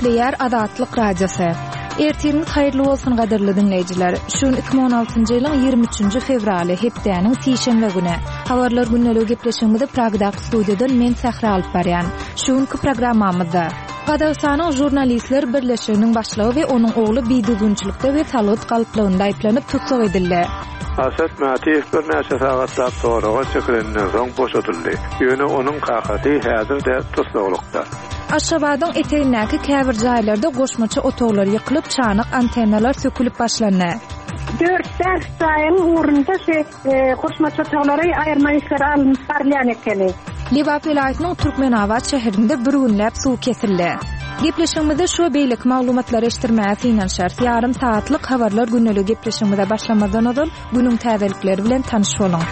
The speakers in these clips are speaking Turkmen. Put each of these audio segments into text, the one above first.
Gepleýär Azatlyk Radiosy. Ertiriňiz haýyrly bolsun gadyrly diňleýjiler. Şu gün 2016-njy ýylyň 23-nji fewraly, hepdäniň sişenbe güni. Habarlar gündeligi gepleşigimizi Pragdaky studiýadan men Sähra alyp barýan. Şu günki programmamyzda. Gazagystanyň Žurnalistler birleşiginiň başlygy we onuň ogly bidüzgünçilikde we salgyt galplygynda aýyplanyp tussag edildi. Asad Mätiýew birnäçe sagatlap soraga çekileninden soň boşadyldy. Ýöne onuň kakasy häzir-de tussaglykda. Aşgabadyň etegindäki käbir jaýlarda goşmaça otaglar ýykylyp, çanak antennalar sökülip başlandy. Dört-bäş jaýyň ugrunda şu goşmaça otaglary aýyrma işleri alnyp barylýan ekeni. Lebap welaýatynyň Türkmenabat şäherinde bir günläp suw kesildi. Gepleşigimizde şu we beýleki maglumatlary eşitdirmäge synanyşarys. Ýarym sagatlyk Habarlar gündeligi gepleşigimize başlamazdan ozal, günüň täzelikleri bilen tanyş boluň.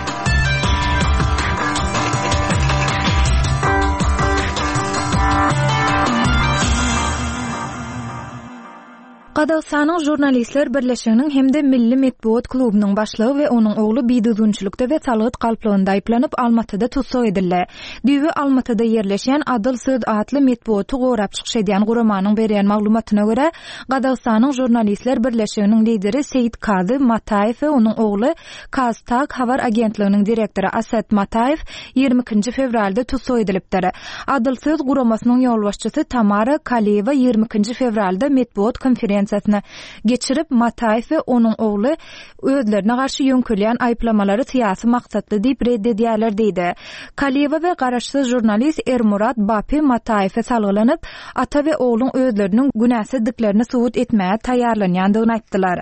Gazagystanyň Žurnalistler birleşiginiň hem-de Milli metbugat klubunyň başlygy we onuň ogly bidüzgünçilikde we salgyt galplygynda aýyplanyp, Almatyda tussag edildi. Düýbi Almatyda ýerleşýän Adyl söz atly metbugaty gorap çykyş edýän guramanyň berýän maglumatyna görä, Gazagystanyň Žurnalistler birleşiginiň lideri Seýitkazy Mataýew we onuň ogly KazTAG habar agentliginiň direktory Aset Mataýew 22-nji fewralda tussag edilipdir. Adyl söz guramasynyň ýolbaşçysy Tamara Kaliýewa 22-nji fewralda metbugat konferensiýasyny geçirip, Mataýew we onuň ogly özlerine garşy ýöňkelýän aýyplamalary syýasy maksatly diýip ret edýärler diýdi. Kaliýewa we garaşsyz žurnalist Ermurat Bapi Mataýewe salgylanyp, ata we ogluň özleriniň günäsizdiklerini subut etmäge taýýarlanýandygyny aýtdylar.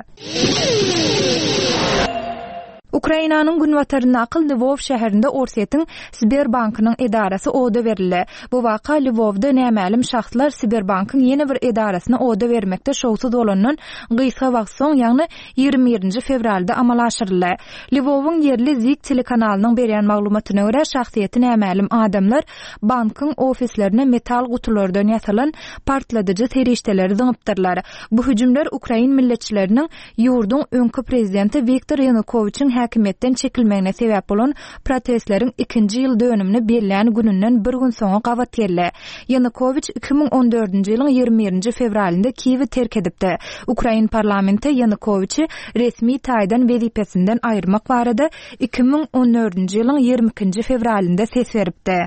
Ukrainanyň günbataryndaky Lwow şäherinde Orsýetiň Sberbankynyň edarasy oda berildi. Bu waka Lwowda nämälim şahslar Sberbankyň ýene bir edarasyny oda bermekde şowsuz bolandan gysga wagt soň, ýagny 21-nji fewralda amala aşyryldy. Lwowyň ýerli Zik telekanalynyň berýän maglumatyna görä, şahsyýeti nämälim adamlar bankyň ofislerine metal gutulardan ýasalan partladyjy serişdeleri zyňypdyrlar. Bu hüjümler ukrain milletçileriniň ýurduň öňki prezidenti Wiktor Ýanukowiçiň häkimiýetden çekilmegine sebäp bolan protestleriň ikinji ýyl dönümini bellän gününden bir gün soňa gabat geldi. Ýanukowiç 2014-nji ýylyň 21-nji fewralynda Kiýewi terk edipdi. Ukrain parlamenti Ýanukowiçi resmi taýdan wezipesinden aýyrmak barada 2014-nji ýylyň 22-nji fewralynda ses beripdi.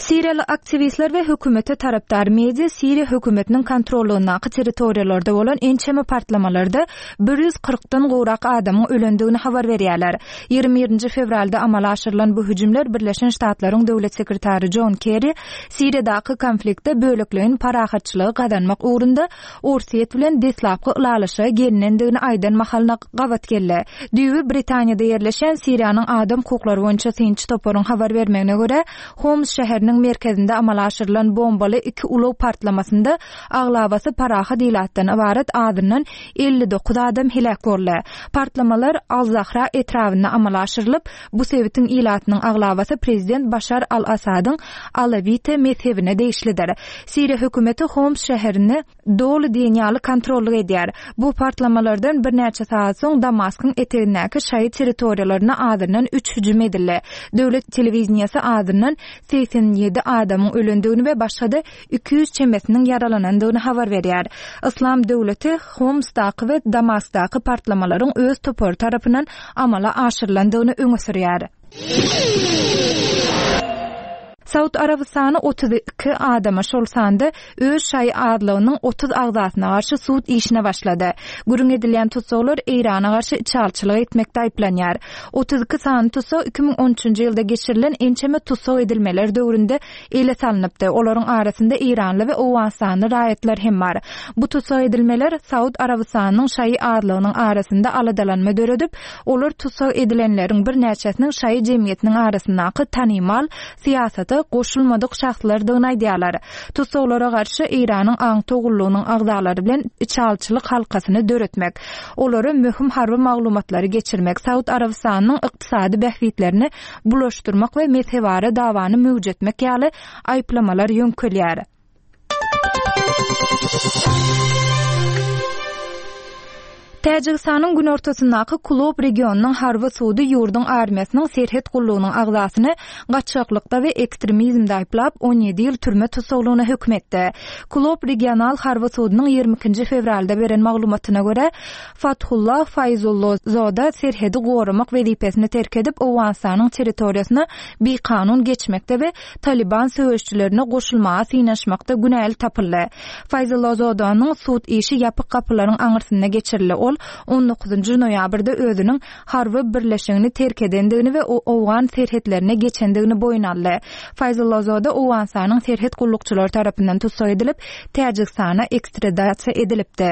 Siriýaly aktiwistler we hökümete tarapdar media Siriýa hökümetiniň kontrollygyndaky territoriýalarda bolan ençeme partlamalarda 140-dan gowrak adamyň ölendigini habar berýärler. 21-nji fewralda amala aşyrylan bu hüjümler Birleşen Ştatlaryň döwlet sekretary Jon Kerri Siriýadaky konfliktde bölekleýin parahatçylygy gazanmak ugrunda Orsýet bilen deslapky ylalaşyga gelinendigini aýdan mahalyna gabat geldi. Düýbi Britaniýada ýerleşýän Siriýanyň adam hukuklary boýunça synçy toparyň habar bermegine görä, Homs şäheriniň merkezinde amala aşyrylan bombaly iki ulag partlamasynda aglabasy parahat ilatdan ybarat azyndan 59 adam heläk boldy. Partlamalar Al-Zahra etrabynda amala aşyrylyp, bu sebitiň ilatynyň aglabasy prezident Başar al-Assadyň alawite mezhebine degişlidir. Siriýa hökümeti Homs şäherini doly diýen ýaly kontrollyk edýär. Bu partlamalardan birnäçe sagat soň Damaskyň etegindäki şaýy territoriýalaryna azyndan üç hüjüm edildi. Döwlet telewideniýesi azyndan 87 adamyň ölendigini we başga-da 200 çemesiniň ýaralanandygyny habar berýär. Yslam döwleti Homsdaky we Damaskdaky partlamalaryň öz topary tarapyndan amala aşyrylandygyny öňe sürýär. Saud Arabystany 32 adama, şol sanda öz şaýy azlygynyň 30 agzasyna garşy sud işine başlady. Gürrüň edilýän tussaglar Eýrana garşy içalyçylyk etmekde aýyplanýar. 32 sany tussag 2013-nji ýylda geçirilen ençeme tussag edilmeler döwründe ele salnypdy. Olaryň arasynda eýranly we owganystanly raýatlar hem bar. Bu tussag edilmeler Saud Arabystanynyň şaýy azlygynyň arasynda aladalanma döredip, Olar tussag edilenleriň birnäçesiniň şaýy jemgyýetiniň arasyndaky tanymal, syýasata goşulmadyk şahslardygyny aýdýarlar. Tussaglara garşy Eýranyň aňtaw gullugynyň agzalary bilen içalyçylyk halkasyny döretmek, olara möhüm harby maglumatlary geçirmek, Saud Arabystanynyň ykdysady bähbitlerini bulaşdyrmak we mezhebara dawany möwjetmek ýaly aýyplamalar ýöňkelýär. Täjigistanyň günortasyndaky Kulob regionynyň harby sudy ýurduň armiýasynyň serhet gullugynyň agzasyny gaçgaklykda we ekstremizmde aýyplap, 17 ýyl türme tussaglygyna höküm etdi. Kulob regional harby sudunyň 22-nji fewralda beren maglumatyna görä, Fathullah Faýzullozoda serhedi goramak wezipesini terk edip, Owganystanyň territoriýasyna bikanun geçmekde we Talyban söweşijilerine goşulmaga synanyşmakda günäli tapyldy. Faýzullazodanyň sud işi ýapyk gapylaryň aňyrsynda geçirildi. Ol on dokuzynjy noýabrda özüniň harby birleşigini terk edendigini we owgan serhetlerine geçendigini boýun aldy. Faýzullazoda Owganystanyň serhet gullukçylary tarapyndan tussag edilip, Täjigistana ekstradasiýa edilipdi.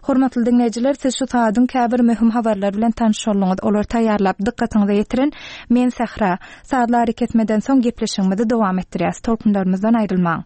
Hormatly diňleýjiler, siz şu sagadyň käbir möhüm habarlary bilen tanyş bolduňyz. Olary taýýarlap, dykgatyňyza ýetiren men Sähra. Sazly arakesmeden soň gepleşigimizi dowam etdirýäs. Tolkunlarymyzdan aýrylmaň.